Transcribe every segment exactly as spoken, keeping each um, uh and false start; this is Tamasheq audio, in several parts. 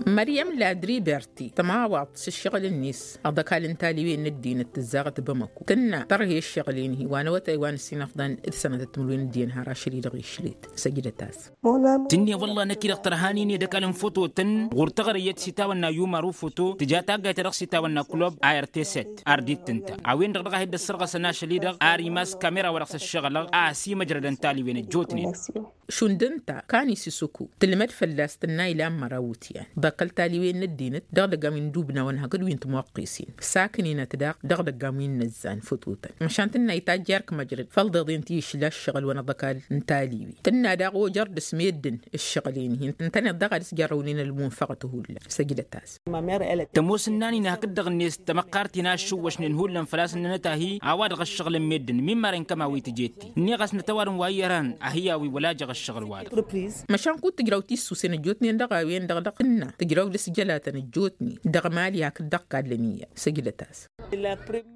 Măryăm ladriberti tămawaḍt s-ǝššăɣǝl-net ăḍăkal n-taliwen n-ăddinăt tǝzzaɣăt bamăku tǝnna tărhe ǝššăɣǝl-en-hi wa n-awătay wa n-ǝssin afḍăn d-sănătăt timǝrwen d-iyyăn har ašăl-i-dăɣ išlet. Săjdăt-as. Tǝnne wălla năkk-i-dăɣ tărhanin i-dăkal n-fototăn ɣur-taɣăre iyyăt s-itawănna yumar ufoto tǝja taggayt-ta-dăɣ s-itawănna kulob a r t set ardit tǝnta a-wen-dăɣ dăɣ-a hi-dd-ăssărɣăsăn ašăl-i-dăɣ ar imas kamera wa dăɣ-s ăššăɣǝlăɣ a ăsimăjrădăn taliwen ăjjootnen. Šund ǝnta kani s-isǝku tǝlmăd fălla-s tǝnna ilan măraw iwǝtyan ḍăkăl taliwen n-ăddinăt dăɣ-idăggan wi n-idubnawăn hakd wi n-timwăqqesen sakǝn-inăt daɣ dăɣ-idăggan wi n-inăzzan fătotăn măšan tǝnna itajj erk măjrăd făll-deḍen ti išla ǝššăɣǝl wa n-aḍăkal n-taliwi tǝnna daɣ ojăr dăr-s meddǝn ǝššăɣǝl-en-hi ǝntăneḍ daɣ ad-s-jărrăwnen ălmunfăɣăt hullan. Săjdăt-as. Tămoos ǝnnan-in hakd-dăɣ-net tămăqqart-in a ǝššǝwwăšnen hullan făl-a-s ǝnnănăt ahi a-wa-dăɣ ăššăɣǝlăn meddǝn min marăn kămawi tǝjet-i ǝnniɣ-as nătăwad n-wa iyyăr han ahi a-wi wăla jăɣ ăššăɣǝl-wa-dăɣ. Măšan kud tǝjraw tissusen ăjjootnen dăɣ-a-wen-dăɣ dăɣ-s tǝnna tǝjraw dăr-s jălatăn ăjjootnen dăɣ-mali hakd dăɣ-kallăn iyyăr. Săjdăt-as.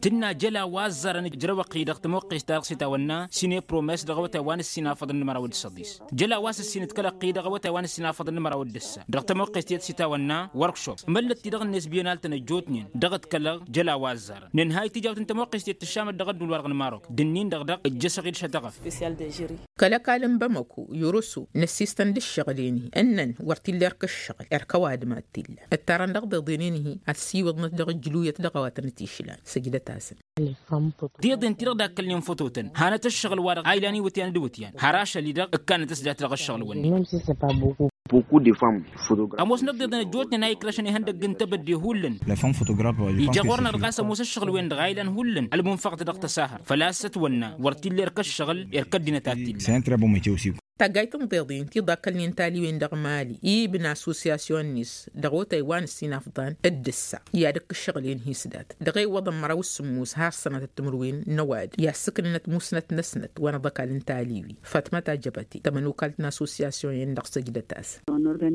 Tǝnna jăl a-wa ăzzarăn ǝjrăw ăqqi dăɣ-tămoqqest-ta-dăɣ s-itawănna sine promes dăɣ-awătay wa n-ǝssin afăḍăn n-măraw d-săḍis. Jăl a-wa s-ǝssin d-kăl-ăqqi dăɣ-awătay wa n-ǝssin afăḍăn n-măraw d-ǝssa dăɣ-tămoqqest iyyăt s-itawănna workshop măllăt-ti-dăɣ-net biyenal-tăn ăjjootnen dăɣ-ăḍkălăɣ. Jăl a-wa ăzzarăn nǝnhăy tijawt n-tămoqqest iyyăt tǝššamăt dăɣ-ădduul-wa-dăɣ n-marok d-ǝnnin-dăɣ dăɣ-ǝjjăšăɣ-dd šătăɣăf. Kăl-ăkall n-bamăku yoroso năssistăn d-ǝššăɣǝl-en-hi ǝnnăn wăr t-illa erk ǝššăɣǝl erk ăwadǝm ad-t-illa ǝttarăn dăɣ-deḍen-en-hi ad-siwǝḍnăt dăɣ-ǝjluyăt dăɣ-a-wa tăn-t-išlan. Săjdăt-asăn. Deḍen-ti-dăɣ dakkălnen fătotăn hanăt ǝššăɣǝl-wa-dăɣ a ilan iwǝtyan d-iwǝtyan har ašăl-i-dăɣ ǝkkanăt s-dat dăɣ-ǝššăɣǝl-wǝnnin. Ămoosnăt deḍen ăjjootnen a ikrăšăn ihăndăgg n-tebădde hullan. Ija ɣur-năɣ-dăɣ a-s ămoos ǝššăɣǝl-wen-dăɣ a ilan hullan ălmunfăɣăt dăɣ-tăsahărt făl-a-s ătwănna wăr t-illa erk ǝššăɣǝl erk ăddinăt ad-t-illa. Taggayt n-tiḍin ti ḍakkălnen taliwen dăɣ-mali ibn assosyasyon-net dăɣ-otay wa n-ǝssin afḍan d-ǝssa i-ad-ǝkk ǝššăɣǝl-en-hi s-dat dăɣ-e iwwăḍăn măraw s-sǝmmos har sănatăt timǝrwen n-ăwadǝm i-ad-sǝknǝnăt musnăt-năsnăt wa n-aḍăkal n-taliwi. Fatmăt ajăbăte tămănokalt n-assosyasyon-en-dăɣ săjdăt-as.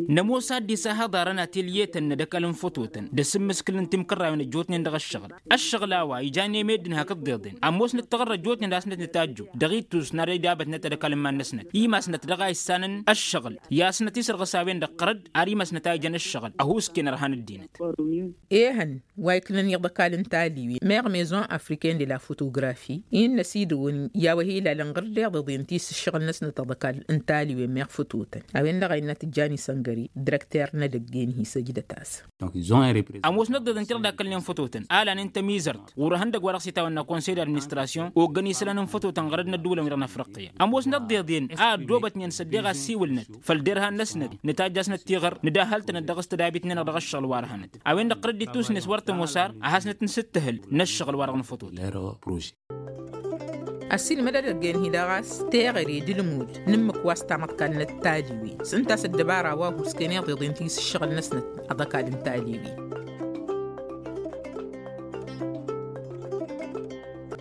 Nămoos ad-dd-isahăḍarăn atelye-tăn n-ad-ăkall n-fototăn d-asǝmmǝskǝl n-timkărrawen ăjjootnen dăɣ-ǝššăɣǝl. Ăššăɣǝl a-wa ijan i-meddǝn hakd deḍen ămoosnăt taɣărra ăjjootnen a-s năt-nǝtajju dăɣ-ittus n-ad-idabătnăt ad-ăkall n-iman-năsnăt imasnăt dăɣ-a issanăn ăššăɣǝl i-asnăt isărɣǝs a-wen-dăɣ ɣărăd ar imasnăt a ijăn ăššăɣǝl ăhuusken ărhan ăddinăt. Ehăn wa iknăn iḍăkal n-taliwi meɣ maison africaine de la photographie innă s-idǝwǝn i-a-wa hi-ilalăn ɣǝr-deḍ iḍen ti s-ǝššăɣǝl-năsnăt aḍăkal n-taliwi meɣ fătotăn a-wen-dăɣ a innă tǝjjan isăngări. Dirăkter n-edăgg-en-hi săjdăt-as. Ămoosnăt deḍen ti-dăɣ dakkălnen fătotăn a lanen tămizărt ɣur-ehăndăgg wa dăɣ-s itawănna konsey d-administrasyon oggăn isălan n-fătotăn ɣărăd n-ăddǝwǝlăn wi-dăɣ n-afriqqiya. Ămoosnăt deḍen a ăddoobătnen s-ăddeɣ asiwǝlnăt făll-derhan-năsnăt nǝtajj'-asnăt tiɣăr nǝdahhăl-tănăt dăɣ-s tădabit-nen-dăɣ dăɣ-ăššăɣǝl wa dăɣ-hanăt. A-wen-dăɣ tărăddit tusnes wăr tămoos ar ad-hasnăt-nǝsǝttǝhǝl n-ăššăɣǝl wa dăɣ-nǝfătot. Ăssiilmăd edăgg-en-hi-dăɣ a-s teɣăre d-ǝlmud n-ǝmmǝk wa s-tamăḍkalnăt taliwi s-ǝnta a-s ăddăbara wa husken iḍeḍen ti s-ǝššăɣǝl-năsnăt. Aḍăkal n-taliwi.